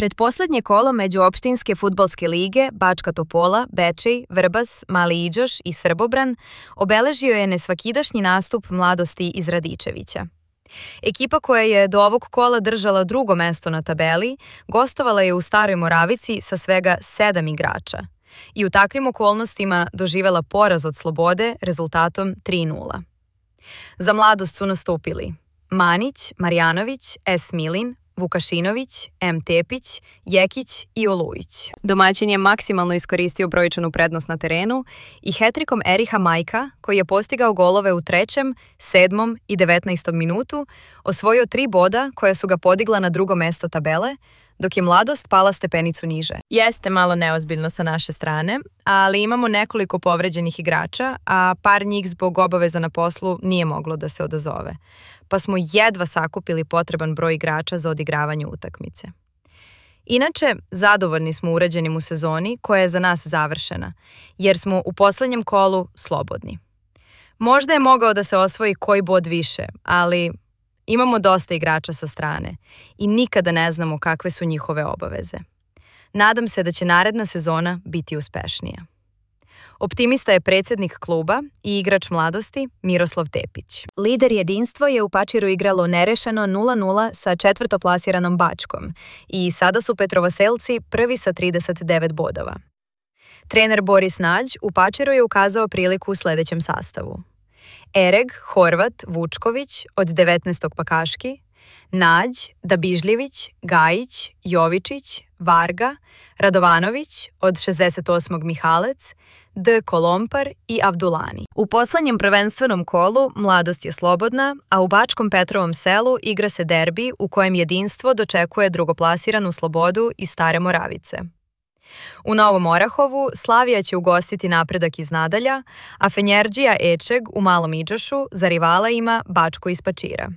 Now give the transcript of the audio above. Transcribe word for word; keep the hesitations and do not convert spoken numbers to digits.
Pretposlednje kolo međuopštinske fudbalske lige Bačka Topola, Bečej, Vrbas, Mali Iđoš i Srbobran obeležio je nesvakidašnji nastup mladosti iz Radičevića. Ekipa koja je do ovog kola držala drugo mesto na tabeli gostovala je u Staroj Moravici sa svega sedam igrača i u takvim okolnostima doživela poraz od Slobode rezultatom tri nula. Za mladost su nastupili Manić, Marjanović, S. Milin, Vukašinović, M. Tepić, Jekić i Olujić. Domaćin je maksimalno iskoristio brojčanu prednost na terenu i hetrikom Eriha Majka, koji je postigao golove u trećem, sedmom i devetnaestom minutu, osvojio tri boda koja su ga podigla na drugo mesto tabele, dok je mladost pala stepenicu niže. Jeste malo neozbiljno sa naše strane, ali imamo nekoliko povređenih igrača, a par njih zbog obaveza na poslu nije moglo da se odazove, pa smo jedva sakupili potreban broj igrača za odigravanje utakmice. Inače, zadovoljni smo urađenim u sezoni koja je za nas završena, jer smo u poslednjem kolu slobodni. Možda je mogao da se osvoji koji bod više, ali imamo dosta igrača sa strane i nikada ne znamo kakve su njihove obaveze. Nadam se da će naredna sezona biti uspešnija. Optimista je predsjednik kluba i igrač mladosti Miroslav Tepić. Lider Jedinstvo je u Pačiru igralo nerešeno nula nula sa četvrtoplasiranom Bačkom i sada su Petrovaselci prvi sa trideset devet bodova. Trener Boris Nađ u Pačiru je ukazao priliku u sledećem sastavu: Ereg, Horvat, Vučković od devetnaestog Pakaški, Nađ, Dabižljević, Gajić, Jovičić, Varga, Radovanović od šezdeset osmog Mihalec, D. Kolompar i Avdulani. U poslednjem prvenstvenom kolu mladost je slobodna, a u Bačkom Petrovom selu igra se derbi u kojem Jedinstvo dočekuje drugoplasiranu Slobodu iz Stare Moravice. U Novom Orahovu Slavija će ugostiti Napredak iz Nadalja, a Fenjerđija Ečeg u Malom Iđošu za rivala ima Bačko iz Pačira.